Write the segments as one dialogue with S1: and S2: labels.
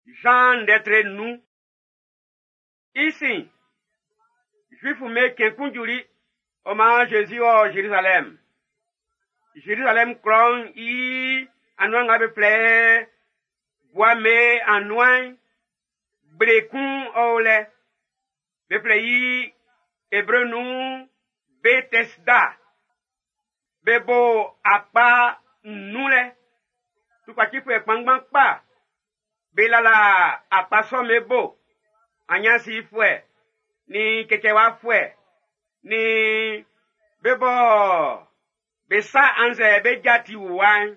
S1: Zan ndɛ tre 5. I sin'n, Zuifu'm be cɛn kun juli, ɔ maan Zezi wɔ Zerizalɛm. Zerizalɛm klɔ'n i anuan nga be flɛ Bua'm be anuan'n, gble kun ɔ o lɛ. Be flɛ i Ebre nun Betɛsda. Be bo akpa nnun lɛ. Tukpacifuɛ kpanngban kpa be lala akpa sɔ'm be bo. Anyansifuɛ, nin cɛcɛwafuɛ, nin be bɔ be sa annzɛ be ja ti wuwa'n,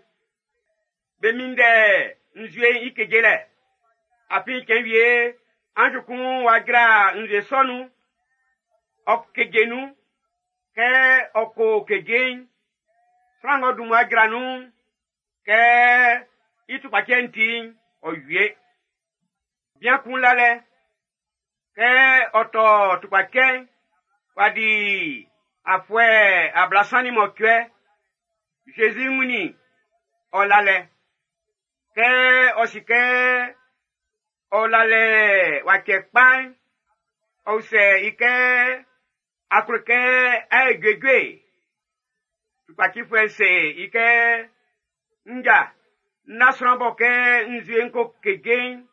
S1: be minndɛ nzue'n i kejelɛ. Afin cɛn wie anz kun wa jra nzue sɔ nun, ɔ keje nun. Kɛ ɔ ko keje'n, sran ng'ɔ dun mmua jra nun'n, kɛ i tukpacɛ'n ti'n, ɔ wie. Bian kun la lɛ, kɛ ɔ tɔ tukpacɛ'n, w'a di afuɛ 38. Zezi wunnin ɔ la lɛ. Kɛ ɔ si kɛ ɔ la lɛ w'a cɛ kpa'n, ɔ usɛ i kɛ, a klo kɛ a ye juejue? Tukpacifuɛ'n se i kɛ, nja, n na sran bɔ kɛ nzue'n ko keje'n,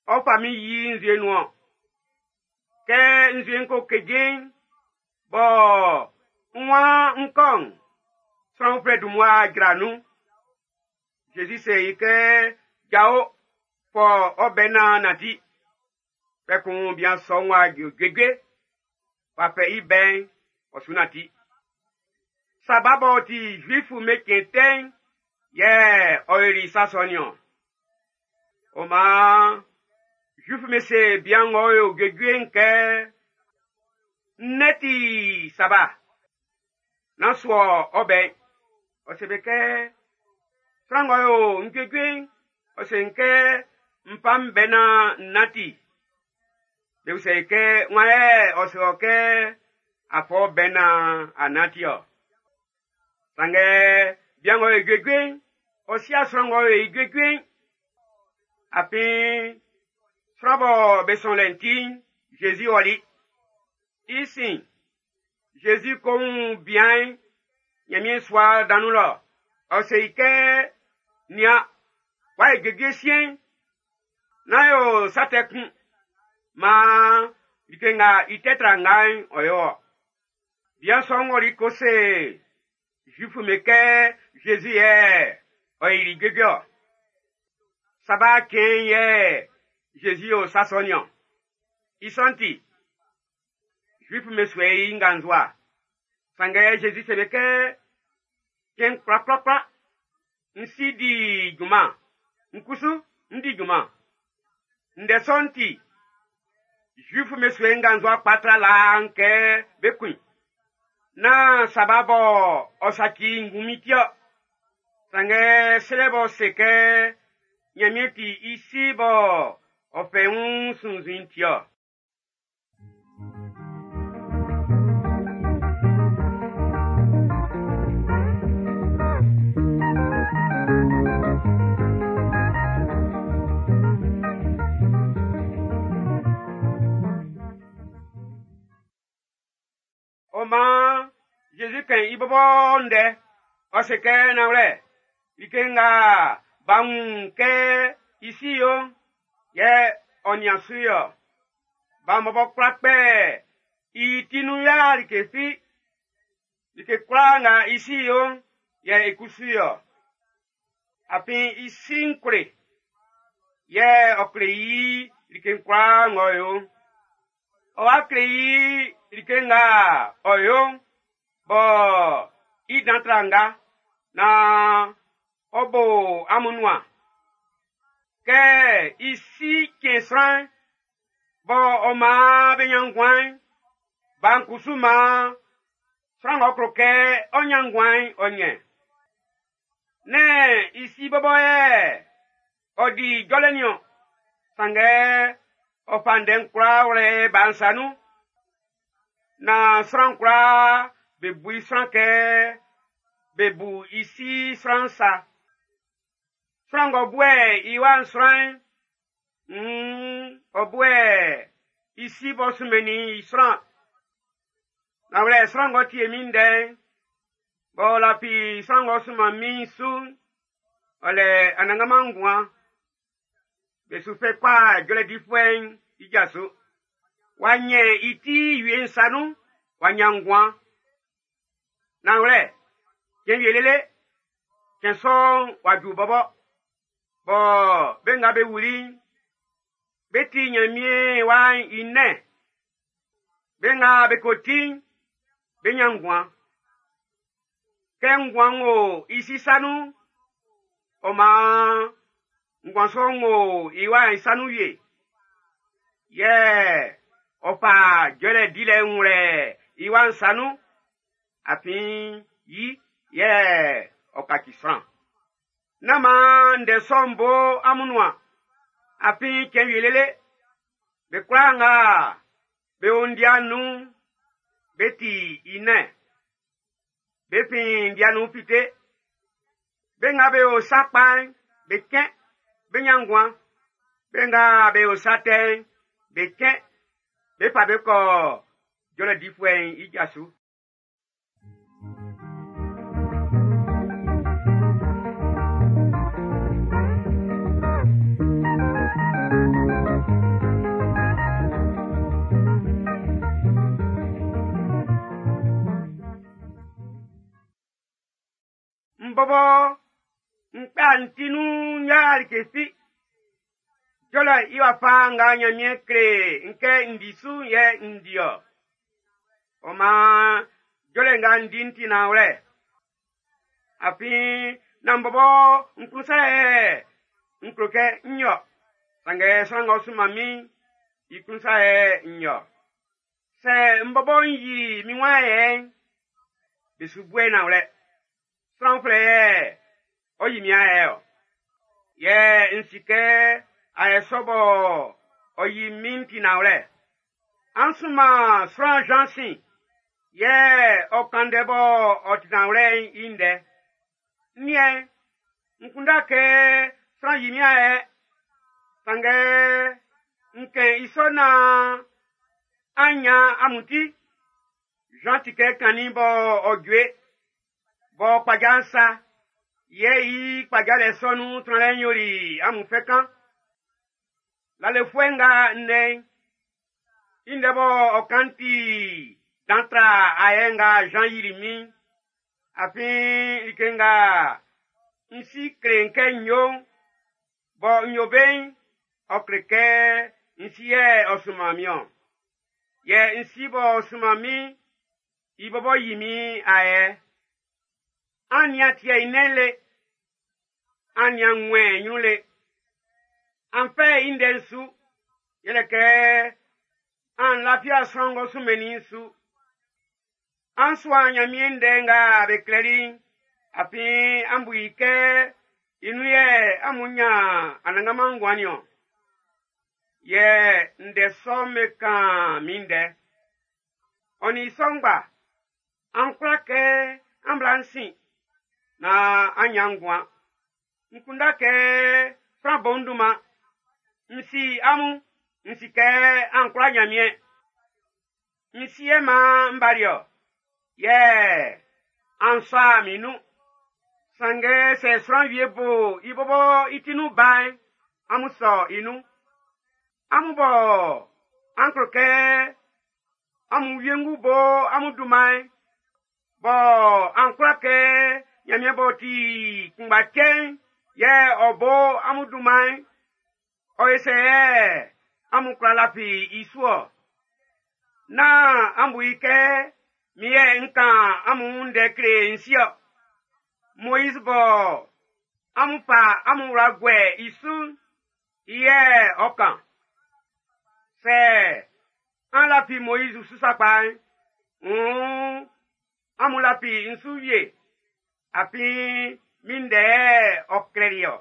S1: ɔ fa min yi nzue nun-ɔn. Kɛ nzue'n ko keje'n, bɔ n waan n kɔ'n, sran uflɛ dun mmua jra nun. Zezi se i kɛ, jao, fɔ ɔ bɛ naan nanti. Kpɛkun bian sɔ'n w'a juejue, w'a fɛ i bɛ'n, ɔ su nanti. Saba b'ɔ ti Zuifu'm be cɛn tɛ'n, yɛ ɔ yoli sa sɔ nin-ɔn. Ɔ maan, Zuifu'm be se bian ng'ɔ yo juejue'n kɛ, nnɛn ti saba, nán suɔ ɔ bɛ'n. Ɔ se be kɛ, sran ng'ɔ yo n juejue'n, ɔ se n kɛ n fa m bɛ naan n nanti. Be usɛ i kɛ, wan yɛ ɔ se ɔ kɛ a fɔ bɛ naan a nanti-ɔ? Sanngɛ bian ng'ɔ yo juejue'n, ɔ si'a sran ng'ɔ yo i juejue'n. Afin sran bɔ be sɔn lɛ'n ti'n, Zezi ɔli. I sin'n, Zezi ko wun bian'n Ɲanmiɛn sua dan nun lɔ. Ɔ se i kɛ, nian, w'a ye juejue siɛn'n, nán yo sa tɛ kun. Maan like nga i tɛ tra nga'n ɔ yo ɔ. Bian sɔ'n ɔli ko se Zuifu'm be kɛ Zezi yɛ ɔ yili juejue-ɔ. Saba cɛn'n yɛ Zezi yo sa sɔ nin-ɔn. I sɔ'n ti, Zuifu'm be suɛ i nganzua. Sanngɛ Zezi se be kɛ, cɛn kwlakwlakwla, n si di junman, n kusu n di junman. Ndɛ sɔ'n ti, Zuifu'm be suɛ i nganzua kpa tra laa'n kɛ be kun i. Nán saba bɔ ɔ saci ngunmin ti-ɔ. Sanngɛ selɛ b'ɔ se kɛ Ɲanmiɛn ti i si bɔ ɔ fɛ i wun sunnzun ti-ɔ. Ɔ maan Zezi kɛn i bɔbɔ ndɛ, ɔ se kɛ nanwlɛ, like nga b'a wun kɛ i si yo'n, yɛ ɔ nian su yɔ. Ba'n bɔbɔ kwla kpɛ i ti nun ya like fi. Like kwlaa nga i si yo'n, yɛ i kusu yɔ. Afin i si'n kle, yɛ ɔ kle i like kwlaa ng'ɔ yo'n. Ɔ wa kle i like nga ɔ yo'n, bɔ i dan tra nga, naan ɔ bo amun nuan. Kɛ i si cɛn sran'n, bɔ ɔ maan be ɲan nguan'n, ba'n kusu maan sran ng'ɔ klo kɛ ɔ ɲan nguan'n, ɔ ɲɛn. Nɛ́n i si bɔbɔ yɛ ɔ di jɔlɛ nin-ɔn, sanngɛ ɔ fa ndɛ'n kwlaa wlɛ ba'n sa nun. Naan sran kwlaa be bu i sran kɛ be bu i si sran sa. Sran ng'ɔ buɛ i wa'n sran'n, Ɔ buɛ i si b'ɔ sunmɛnnin i sran. Nanwlɛ, sran ng'ɔ tie min ndɛ'n, b'ɔ lafi sran ng'ɔ sunman min su'n, ɔ lɛ anannganman nguan. Be su fɛ kpa jɔlɛ difuɛ'n i ja su. W'a nyɛn i ti wie'n sa nun, w'a nyan nguan. Nanwlɛ, cɛn wie lele, cɛn sɔ'n w'a ju bɔbɔ, bɔ be nga be wuli'n, be ti Nyanmiɛn wa'n i nɛn. Be nga be ko ti'n, be nyan nguan. Kɛ nguan'n wo i si sa nun'n, ɔ maan nguan sɔ'n wo i wa'n i sa nun wie. Yɛ ɔ fa jɔlɛ dilɛ'n wlɛ i wa'n sa nun, afin yi yɛ ɔ kaci sran. Nán maan ndɛ sɔ'n bo amun nuan, afin cɛn wie lele, be kwlaa nga be o ndia nun'n, be ti i nɛn. Be fin ndia nun fite. Be nga be o sa kpa'n, be cɛn, be nyan nguan. Be nga be o sa tɛ'n, be cɛn, be fa be kɔ jɔlɛ difuɛ'n i ja su. N bɔbɔ n kpa n ti nun ya like fi. Jɔlɛ i wafa nga Nyanmiɛn kle n kɛ n di su'n yɛ n di-ɔ. Ɔ maan jɔlɛ nga n di'n ti nanwlɛ. Afin nán n bɔbɔ n klun sa yɛ n klo kɛ n yo. Sanngɛ sran ng'ɔ sunman min'n, i klun sa yɛ n yo. Sɛ n bɔbɔ n yi min wan yɛ'n, be su bue nanwlɛ. Sran uflɛ yɛ ɔ yi min ayɛ ɔ. Yɛ n si kɛ ayɛ sɔ bɔ ɔ yi min ti nanwlɛ. An sunman sran Jean sin, yɛ ɔ kan ndɛ bɔ ɔ ti nanwlɛ'n i ndɛ. N niɛn, n kunndɛ kɛ sran yi min ayɛ, sanngɛ n kɛn i sɔ naan an nyan amun ti. Jean ti kɛ kannin bɔ ɔ jue, bɔ kpaja'n sa, yɛ i kpajalɛ sɔ nun tranlɛ'n yoli amun fɛ kan. Lalefuɛ nga nnɛn'n, i ndɛ bɔ ɔ kan ti dan tra ayɛ nga Jean yili min'n. Afin like nga n si kle n kɛ n yo'n, bɔ n yo be'n, ɔ kle kɛ n si yɛ ɔ sunman min-ɔn. Yɛ n si b'ɔ sunman min'n, i bɔbɔ yi min ayɛ. An nian tiɛ i nɛn'n le, an nian ŋmɛn ɲrun le. An fɛ i ndɛ'n su, yɛlɛ kɛ an lafia sran ng'ɔ sunmɛnnin i'n su. An suan Nyanmiɛn ndɛ nga be klɛli'n, afin an bu i kɛ i nun yɛ amun nyan anannganman nguan nin-ɔn. Yɛ ndɛ sɔ'n be kan min ndɛ. Ɔ nin i sɔ ngba, an kwla kɛ an bla n sin, naan an nyan nguan. N kunndɛ kɛ sran bo n dunman. N si amun, n si kɛ an kwla Nyanmiɛn. N si yɛ maan n bali-ɔ, yɛ an sɔ min nun. Sanngɛ sɛ sran wie bo i bɔbɔ i ti nun ba'n, amun sɔ i nun. Amun bɔ an klo kɛ amun wiengu bo amun dunman'n, bɔ an kwla kɛ Nyanmiɛn b'ɔ ti kunngba cɛ'n yɛ ɔ bo amun dunman'n, ɔ ye sɛ yɛ amun kwla lafi i su-ɔ. Nán an bu i kɛ min yɛ n kan amun ndɛ kle n si-ɔ. Moiz bɔ amun fa amun wla guɛ i su'n, i yɛ ɔ kan. Sɛ an lafi Moiz su sakpa'n, wuun amun lafi n su wie, afin min ndɛ yɛ ɔ klɛli-ɔ.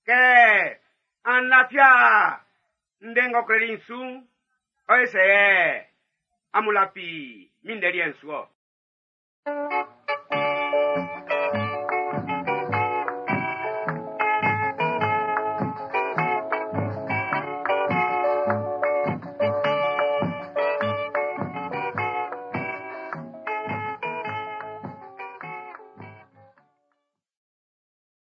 S1: Kɛ an lafia ndɛ ng'ɔ klɛli'n su'n, ɔ ye sɛ yɛ amun lafi min ndɛ liɛ'n su-ɔ.